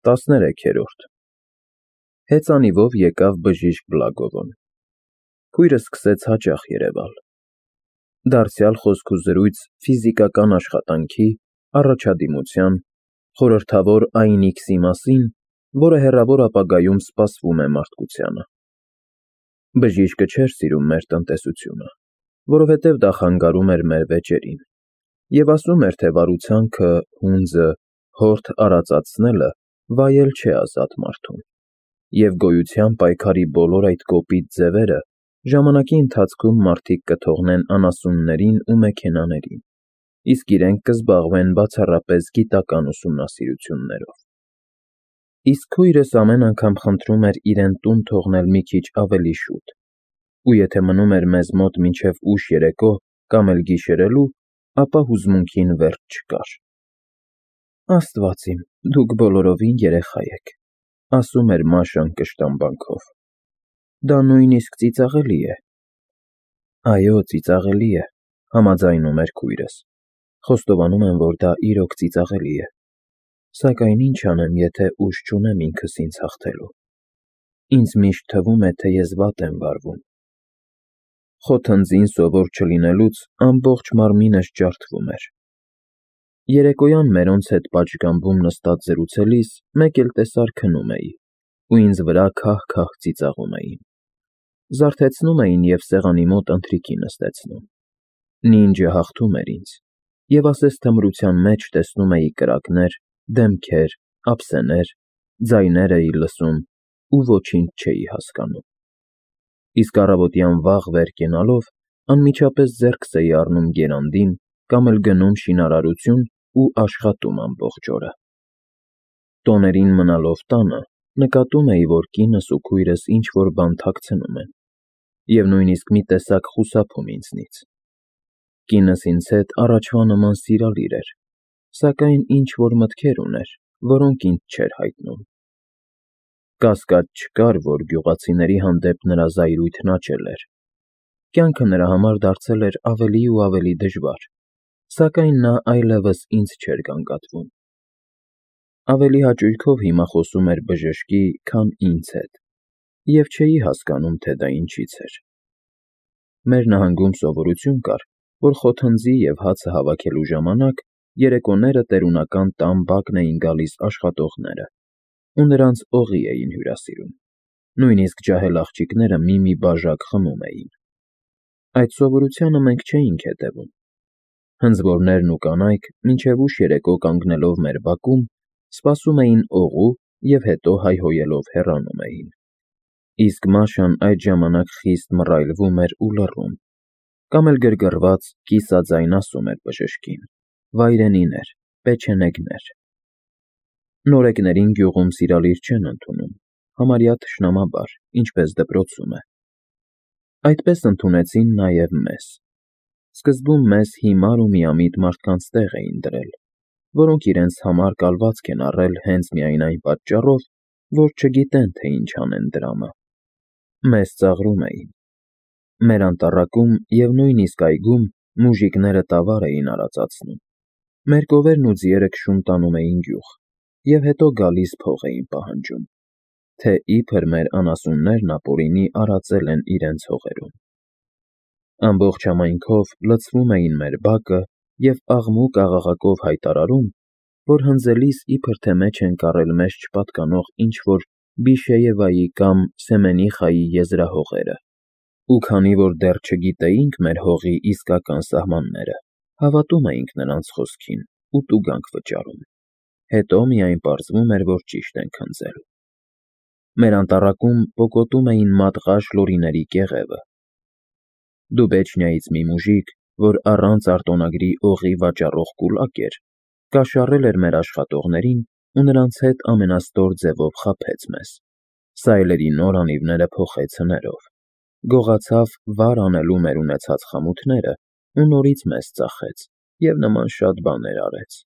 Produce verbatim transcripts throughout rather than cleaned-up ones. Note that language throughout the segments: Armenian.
տասներեքերորդ Հեծանիվով եկավ բժիշկ Բլագովոն։ Քույրը սկսեց հաճախ երևալ։ Դարձյալ խոսքուզրույց ֆիզիկական աշխատանքի, առաջադիմության, խորհրդավոր այն իքսի մասին, որը հեռավոր ապագայում սպասվում է մարդկությանը։ Բժիշկը չէր սիրում մեր տնտեսությունը, որովհետև դա խանգարում էր մեր վեճերին, և ասում էր, թե վարուցանքը, հունձը, հորդ արածացնելը վայել չէ ազատ մարդուն, և գոյության պայքարի բոլոր այդ կոպիտ ձևերը ժամանակի ընթացքում մարդիկ կթողնեն անասուններին ու մեքենաներին, իսկ իրենք կզբաղվեն բացառապես գիտական ուսումնասիրություններով։ Իսկ քույրս ամեն անգամ խնդրում էր իրեն տուն թողնել մի քիչ ավելի շուտ, ու եթե մնում էր մեզ մոտ մինչև ուշ երեկո կամ էլ գիշերելու, ապա հուզմունքին վերջ չկար։ Աստված իմ, դուք բոլորովին երեխա եք, ասում էր Մաշան կշտամբանքով։ Դա նույնիսկ ծիծաղելի է։ Այո, ծիծաղելի է, համաձայնում էր քույրս։ Խոստովանում եմ, որ դա իրոք ծիծաղելի է։ Սակայն ինչ անեմ, եթե ուժ չունեմ ինքս ինձ հաղթելու։ Ինձ միշտ թվում է, թե ես վատ եմ վարվում։ Խոթնձին սովոր չլինելուց ամբողջ մարմինս ջարդվում էր։ Երեկոյան մերոնց հետ պատշգամբում նստած զրուցելիս մեկ էլ տեսար քնում էի, ու ինձ վրա քահ-քահ ծիծաղում էին։ Զարթեցնում էին և սեղանի մոտ ընթրիքի նստեցնում։ Նինջը հաղթում էր ինձ, և ասես թմրության մեջ տեսնում էի կրակներ, դեմքեր, ափսեներ, ձայներ էի լսում ու ոչինչ չէի հասկանում։ Իսկ առավոտյան վաղ վեր կենալով անմիջապես ձեռքս էի առնում գերանդին կամ էլ գնում շինարարություն ու աշխատում ամբողջ օրը։ Տոներին մնալով տանը նկատում էի, որ կինս ու քույրս ինչ-որ բան թաքցնում են, և նույնիսկ մի տեսակ խուսափում ինձնից։ Կինս ինձ հետ առաջվա նման սիրալիր էր, սակայն ինչ-որ մտքեր ուներ, որոնք ինձ չէր հայտնում։ Կասկած չկար, որ գյուղացիների հանդեպ նրա զայրույթն աճել էր։ Կյանքը նրա համար դարձել էր ավելի ու ավելի դժվար, սակայն նա այլևս ինձ չէր գանգատվում։ Ավելի հաճույքով հիմա խոսում էր բժշկի, քան ինձ հետ, և չէի հասկանում, թե դա ինչից էր։ Մեր նահանգում սովորություն կար, որ խոթնձի և հացը հավաքելու ժամանակ երեկոները տերունական տան բակն էին գալիս աշխատողները ու նրանց օղի էին հյուրասիրում, նույնիսկ ջահել աղջիկները մի-մի բաժակ խմում էին։ Այդ սովորությանը մենք չէինք հետևում։ Հնձվորներն ու կանայք մինչև ուշ երեկո կանգնելով մեր բակում, սպասում էին օղու և հետո հայհոյելով հեռանում էին։ Իսկ Մաշան այդ ժամանակ խիստ մռայլվում էր ու լռում, կամ էլ գրգռված կիսաձայն ասում էր բժշկին. վայրենիներ, պեչենեգներ։ Նորեկներին գյուղում սիրալիր չեն ընդունում, համարյա թշնամաբար, ինչպես դպրոցում է։ Այդպես ընդունեցին նաև մեզ։ Սկզբում մեզ հիմար ու միամիտ մարդկանց տեղ էին դրել, որոնք իրենց համար կալվածք են առել հենց միայն այն պատճառով, որ չգիտեն, թե ինչ անեն դրամը։ Մեզ ծաղրում էին։ Մեր անտառակում և նույնիսկ այգում մուժիկները տավար էին արածացնում։ Մեր կովերն ու ձիերը քշում տանում էին գյուղ, և հետո գալիս փող էին պահանջում, թե իբր մեր անասուններն ապօրինի արածել են իրենց հողերում։ Ամբողջ համայնքով լցվում էին մեր բակը և աղմուկ֊աղաղակով հայտարարում, որ հնձելիս իբր թե մեջ են կառել մեզ չպատկանող ինչ-որ Բիշեևայի կամ Սեմենիխայի եզրահողերը, ու քանի որ դեռ չգիտեինք մեր հողի իսկական սահմանները, հավատում էինք նրանց խոսքին ու տուգանք վճարում, հետո միայն պարզվում էր, որ ճիշտ ենք հնձել։ Մեր անտառակում պոկոտում էին մատղաշ լորիների կեղևը։ Դուբեչնիայից մի մուժիկ, որ առանց արտոնագրի օղի վաճառող կուլակ էր, կաշառել էր մեր աշխատողներին ու նրանց հետ ամենաստոր ձևով խաբեց մեզ, սայլերի նոր անիվները փոխեց հներով, գողացավ վար անելու մեր ունեցած խանութները ու նորից մեզ ծախեց և նման շատ բաներ արեց։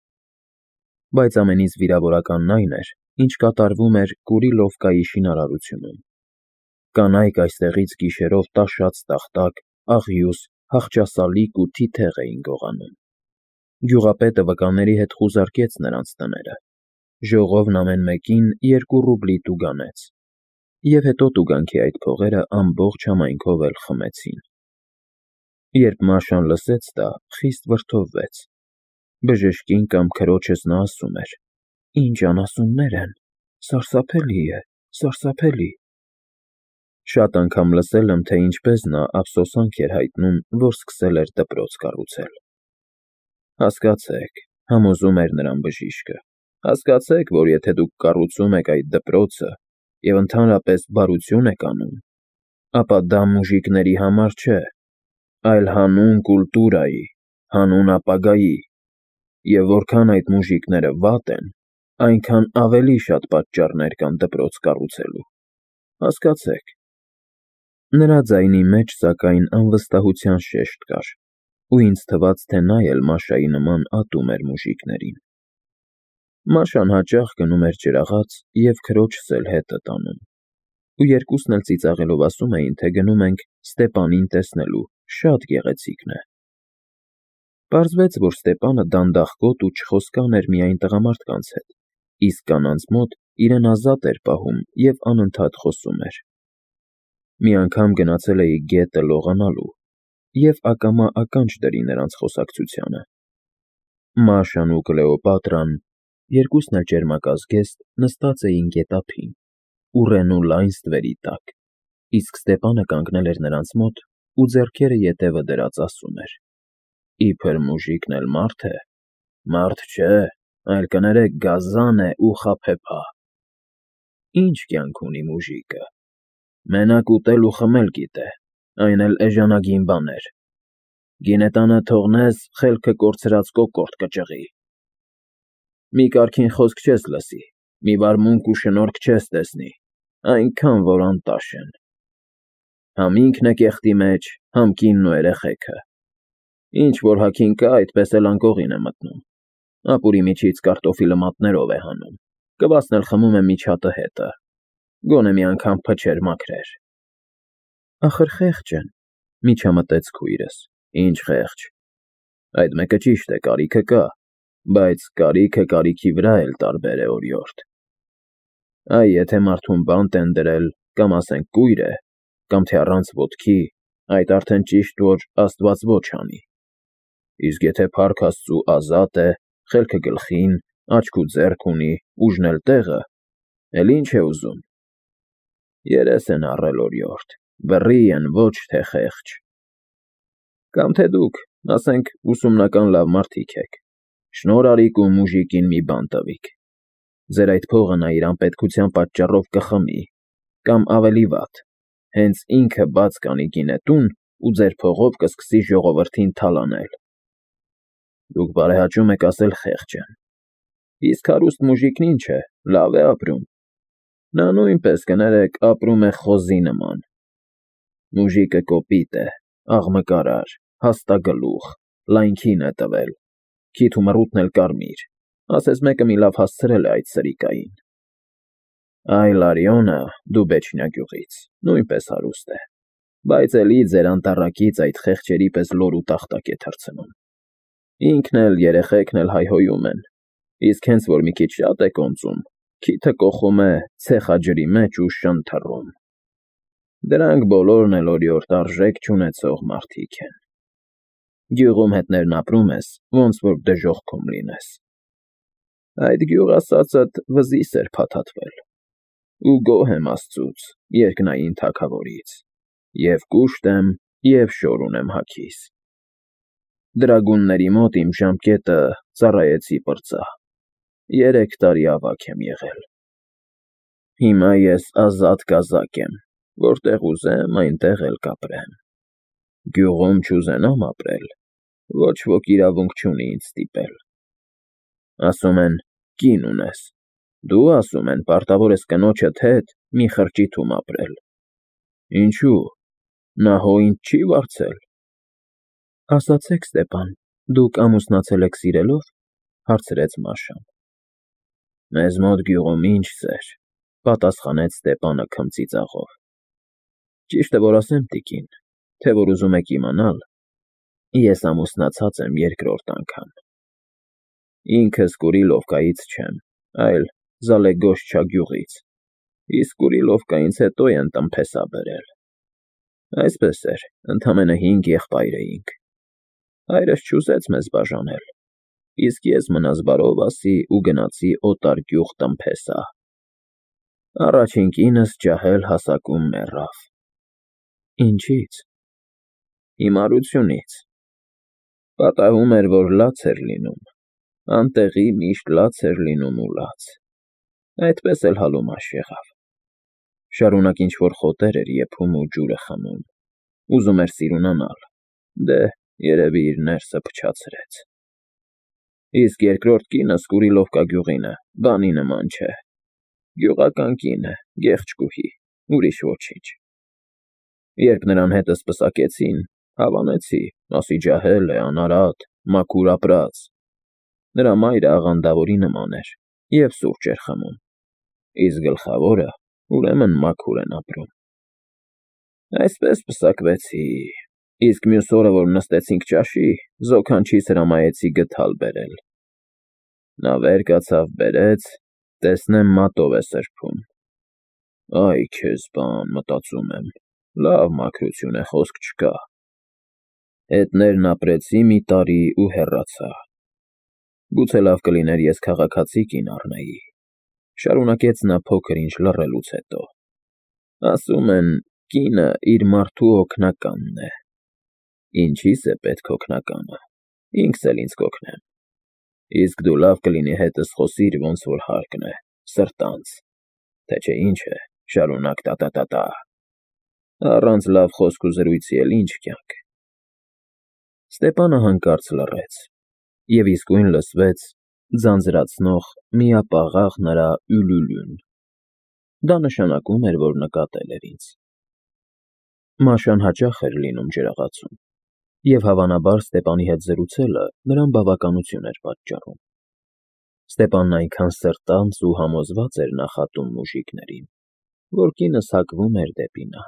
Բայց ամենից վիրավորականն այն էր, ինչ կատարվում էր Կուրիլովկայի շինարարությունում։ Կանայք այստեղից գիշերով տաշած տախտակ, աղյուս, հախճասալիկ ու թիթեղ էին գողանում։ Գյուղապետը վկաների հետ խուզարկեց նրանց տները։ ժողովն ամեն մեկին երկու ռուբլի տուգանեց, և հետո տուգանքի այդ փողերը ամբողջ համայնքով էլ խմեցին։ Երբ Մաշան լսեց դա, խիստ վրդովվեց։ Բժշկին կամ քրոջս նա ասում էր. «Ինչ անասուններ են, սարսափելի է, սարսափելի»։ Շատ անգամ լսել եմ, թե ինչպես նա ափսոսանք էր հայտնում, որ սկսել էր դպրոց կառուցել։ Հասկացեք, համոզում էր նրան բժիշկը, հասկացեք, որ եթե դուք կառուցում եք այդ դպրոցը և ընդհանրապես բարություն եք անում, ապա դա մուժիկների համար չէ, այլ հանուն կուլտուրայի, հանուն ապագայի, և որքան այդ մուժիկները վատ են, այնքան ավելի շատ պատճառներ կան դպրոց կառուցելու, հասկացեք։ Նրա ձայնի մեջ, սակայն, անվստահության շեշտ կար, ու ինձ թվաց, թե նա էլ Մաշայի նման ատում էր մուժիկներին։ Մաշան հաճախ գնում էր ջրաղաց և քրոջս էլ հետը տանում, ու երկուսն էլ ծիծաղելով ասում էին, թե գնում ենք Ստեպանին տեսնելու, շատ գեղեցիկն է։ Պարզվեց, որ Ստեպանը դանդաղկոտ ու չխոսկան էր միայն տղամարդկանց հետ, իսկ կանանց մոտ իրեն ազատ էր պահում և անընդհատ խոսում էր։ Մի անգամ գնացել էի գետը լողանալու, և ակամա ականջ դրի նրանց խոսակցությանը։ Մաշան ու Կլեոպատրան, երկուսն էլ ճերմակազգեստ, նստած էին գետափին, ուռենու լայն ստվերի տակ, իսկ Ստեպանը կանգնել էր նրանց մոտ ու ձեռքերը ետևը դրած ասում էր. «Իբր մուժիկն էլ մարդ է, մարդ չէ, այլ կներեք գազան է ու խաբեբա։ Ինչ կյանք ունի մուժիկը, մենակ ուտել ու խմել գիտե, այն էլ էժանագին բաներ։ Գինետանը թողնես, խելքը կորցրած կոկորդ կճղի։ Մի կարգին խոսք չես լսի, մի վարմունք ու շնորհք չես տեսնի, այնքան որ անտաշ են։ Համ ինքն է կեղտի մեջ, համ կինն ու երեխեքը։ Ինչ որ հագին կա, այդպես էլ անկողին է մտնում։ Ապուրի միջից կարտոֆիլը մատներով է հանում, կվասն էլ խմում է միջատը հետը, գոնե մի անգամ փչեր մաքրեր»։ Ախր խեղճ են, միջամտեց քույրս։ Ինչ խեղճ։ Այդ մեկը ճիշտ է, կարիքը կա, բայց կարիքը կարիքի վրա էլ տարբեր է օրիորդ։ Այ եթե մարդուն բանտ են դրել, կամ ասենք կույր է, կամ թե առանց ոտքի, այդ արդեն ճիշտ, որ Աստված ոչ անի։ Իսկ եթե փառք Աստծու ազատ է, խելքը գլխին, աչք ու ձեռք ունի, ուժն էլ տեղը, էլ ինչ է ուզում։ Երես են առել օրիորդ, բռի են, ոչ թե խեղճ։ Կամ թե դուք, ասենք, ուսումնական լավ մարդիկ եք, շնորհ արիք ու մուժիկին մի բան տվիք։ Ձեր այդ փողը նա իր անպետքության պատճառով կխմի, կամ ավելի վատ, հենց ինքը բաց կանի գինետուն ու ձեր փողով կսկսի ժողովրդին թալանել։ Դուք բարեհաճում եք ասել խեղճ են։ Իսկ հարուստ մուժիկն ինչ է, լավ է ապրում։ Նա նույնպես, կներեք, ապրում է խոզի նման։ Մուժիկը կոպիտ է, աղմկարար, հաստագլուխ, լայն քին է տվել, քիթ ու մռութն էլ կարմիր, ասես մեկը մի լավ հասցրել է այդ սրիկային։ Այ Լարյոնը, Դուբեչնյա գյուղից, նույնպես հարուստ է, բայց էլի ձեր անտառակից այդ խեղճերի պես լոր ու տախտակ է թռցնում։ Ինքն էլ, երեխեքն էլ հայհոյում են, իսկ հենց որ մի քիչ շատ է կոնծում, քիթը կոխում է ցեխաջրի մեջ ու շն թռում։ Դրանք բոլորն էլ օրիորդ արժեք չունեցող մարդիկ են։ Գյուղում հետներն ապրում ես, ոնց որ դժոխքում լինես։ Այդ գյուղ ասածդ վզիս էր փաթաթվել։ Ու գոհ եմ Աստծուց, երկնային Թագավորից, և կուշտ եմ, և շոր ունեմ հագիս։ Դրագունների մոտ իմ ժամկետը ծառայեցի պրծա, երեք տարի ավագ եմ եղել։ Հիմա ես ազատ կազակ եմ, որտեղ ուզեմ, այնտեղ էլ կապրեմ։ Գյուղում չուզենամ ապրել, ոչ ոք իրավունք չունի ինձ ստիպել։ Ասում են, կին ունես, դու, ասում են, պարտավոր ես կնոջդ հետ մի խրճիթում ապրել։ Ինչու՞, նա հո ինձ չի վարձել։ Ասացեք, Ստեպան, դուք ամուսնացել եք սիրելով, հարցրեց Մաշան։ Մեզ մոտ գյուղում ինչ սեր, պատասխանեց Ստեպանը քմծիծաղով։ Ճիշտը որ ասեմ, տիկին, թե որ ուզում եք իմանալ, ես ամուսնացած եմ երկրորդ անգամ։ Ինքս Կուրիլովկայից չեմ, այլ Զալեգոշչա գյուղից, իսկ Կուրիլովկայից հետո են տնփեսա բերել։ Այսպես էր, ընդամենը հինգ եղբայր էինք։ Հայրս չուզեց մեզ բաժանել, իսկ ես մնաս բարով ասի ու գնացի օտար գյուղ տնփեսա։ Առաջին կինս ջահել հասակում մեռավ։ Ինչի՞ց։ Հիմարությունից։ Պատահում էր, որ լաց էր լինում, անտեղի միշտ լաց էր լինում ու լաց։ Այդպես էլ հալումաշ եղավ։ Շարունակ ինչ-որ խոտեր էր եփում ու ջուրը խմում, ուզում էր սիրունանալ, դե, երևի իր ներսը փչացրեց։ Իսկ երկրորդ կինս Կուրիլովկա գյուղինը բանի նման չէ։ Գյուղական կին է, գեղեցկուհի, ուրիշ ոչինչ։ Երբ նրան հետս պսակեցին, հավանեցի, ասի ջահել է, անարատ, մաքուր ապրած։ Նրա մայրը աղանդավորի նման էր և սուրճ էր խմում, իսկ գլխավորը ուրեմն մաքուր են ապրում։ Այսպես պսակվեցի, իսկ մյուս օրը, որ նստեցինք ճաշի, զոքանչիս հրամայեցի գդալ բերել։ Նա վեր կացավ, բերեց, տեսնեմ մատով է սրբում։ Այ քեզ բան, մտածում եմ, լավ մաքրություն է, խոսք չկա։ Հետներն ապրեցի մի տարի ու հեռացա։ Գուցե լավ կլիներ ես քաղաքացի կին առնեի, շարունակեց նա փոքր-ինչ լռելուց հետո։ Ասում են, կինը իր մարդու օգնականն է։ Ինչի՞ս է պետք օգնականը, ինքս էլ ինձ կօգնեմ։ Իսկ դու լավ կլինի հետս խոսիր, ոնց որ հարկն է, սրտանց, թե չէ ինչ է, շարունակ տա֊տա֊տա։ Առանց լավ խոսք ու զրույցի էլ ինչ կյանք։ Ստեպանը հանկարծ լռեց, և իսկույն լսվեց ձանձրացնող միապաղաղ նրա յուլյուլյուն։ Դա նշանակում էր, որ նկատել էր ինձ։ Մաշան հաճախ էր լինում ջրաղացում, և հավանաբար Ստեպանի հետ զրուցելը նրան բավականություն էր պատճառում։ Ստեպանն այնքան սրտանց ու համոզված էր նախատում մուժիկներին, որ կինս հակվում էր դեպի նա։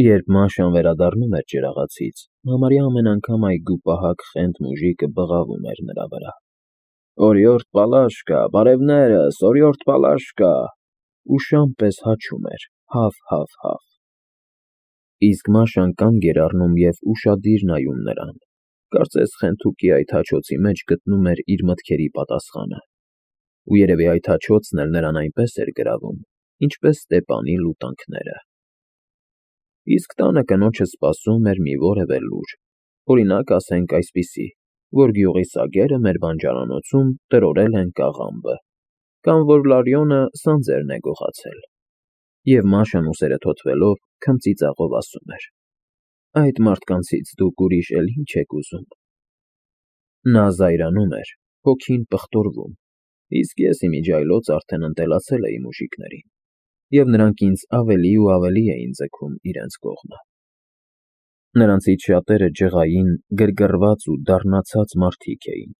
Երբ Մաշան վերադառնում էր ջրաղացից, համարյա ամեն անգամ այգու պահակ խենթ մուժիկը բղավում էր նրա վրա. «Օրիորդ Պալաշկա, բարևներս, օրիորդ Պալաշկա», ու շան պես հաչում էր. «Հավ֊հավ֊հավ»։ Իսկ Մաշան կանգ էր առնում և ուշադիր նայում նրան, կարծես խենթուկի այդ հաչոցի մեջ գտնում էր իր մտքերի պատասխանը, ու երևի այդ հաչոցն էլ նրան այնպես էր գրավում, ինչպես Ստեպանի լուտանքները։ Իսկ տանը կնոջը սպասում էր մի որևէ լուր, օրինակ, ասենք այսպիսի, որ գյուղի սագերը մեր բանջարանոցում տրորել են կաղամբը, կամ որ Լարյոնը սանձերն է գողացել։ Եվ Մաշան ուսերը թոթվելով քմծիծաղով ասում էր. «Այդ մարդկանցից դուք ուրիշ էլ ինչ եք ուզում»։ Նա զայրանում էր, հոգին պղտորվում, իսկ ես իմիջիայլոց արդեն ընտելացել էի մուժիկներին, և նրանք ինձ ավելի ու ավելի էին ձգում իրենց կողմը։ Նրանցից շատերը ջղային, գրգռված ու դառնացած մարդիկ էին,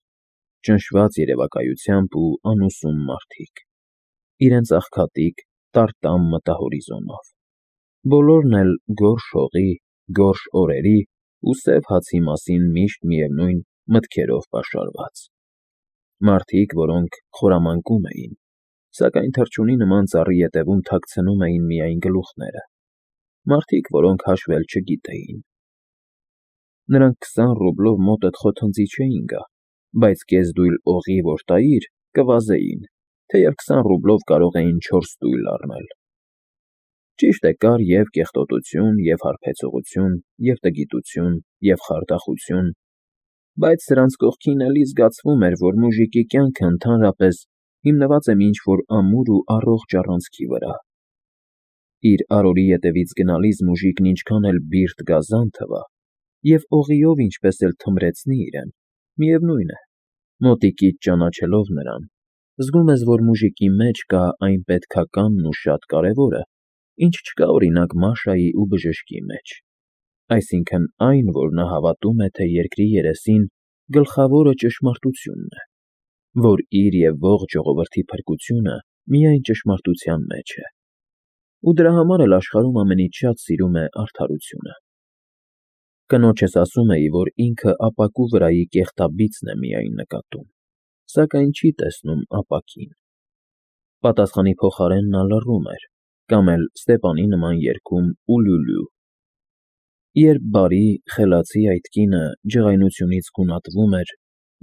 ճնշված երևակայությամբ ու անուսում մարդիկ, իրենց աղքատիկ, տարտամ մտահորիզոնով, բոլորն էլ գորշ հողի, գորշ օրերի ու սև հացի մասին միշտ միևնույն մտքերով պաշարված։ Մարդիկ, որոնք խորամանկում էին, սակայն թռչունի նման ծառի ետևում թաքցնում էին միայն գլուխները, մարդիկ, որոնք հաշվել չգիտեին։ Նրանք քսան ռուբլով մոտդ խոթնձի չէին գա, բայց կես դույլ օղի որ տայիր, կվազեին, թեև քսան ռուբլով կարող էին չորս դույլ առնել։ Ճիշտ է, կար և կեղտոտություն, և հարբեցողություն, և տգիտություն, և խարդախություն, բայց սրանց կողքին էլի զգացվում էր, որ մուժիկի կյանքը ընդհանրապես հիմնված է ինչ-որ ամուր ու առողջ առանցքի վրա։ Իր արորի ետևից գնալիս մուժիկն ինչքան էլ բիրտ գազան թվա, և օղիով ինչպես էլ թմրեցնի իրեն, միևնույն է, մոտիկից ճանաչելով նրան, զգում ես, որ մուժիկի մեջ կա այն պետքականն ու շատ կարևորը, ինչ չկա օրինակ Մաշայի ու բժշկի մեջ, այսինքն այն, որ նա հավատում է, թե երկրի երեսին գլխավորը ճշմարտությունն է, որ իր և ողջ ժողովրդի փրկությունը միայն ճշմարտության մեջ է, ու դրա համար էլ աշխարհում ամենից շատ սիրում է արդարությունը։ Կնոջս ասում էի, որ ինքը ապակու վրայի կեղտաբիծն է միայն նկատում, սակայն չի տեսնում ապակին։ Պատասխանի փոխարեն նա լռում էր կամ էլ Ստեպանի նման երգում ուլուլու։ Երբ բարի, խելացի այդ կինը ջղայնությունից գունատվում էր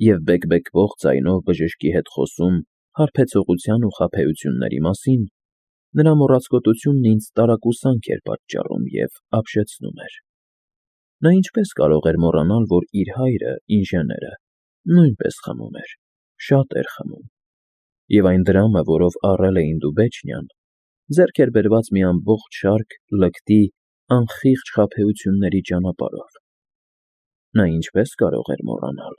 և բեկբեկվող ձայնով բժշկի հետ խոսում հարբեցողության ու խաբեությունների մասին, նրա մոռացկոտությունն ինձ տարակուսանք էր պատճառում և ապշեցնում էր։ Նա ինչպես կարող էր մոռանալ, որ իր հայրը՝ ինժեները, նույնպես խմում էր, շատ էր խմում, և այն դրամը, որով առել էին Դուբեչնիան, ձեռք էր բերված մի ամբողջ շարք լկտի, անխիղճ խաբեությունների ճանապարհով։ Նա ինչպես կարող էր մոռանալ։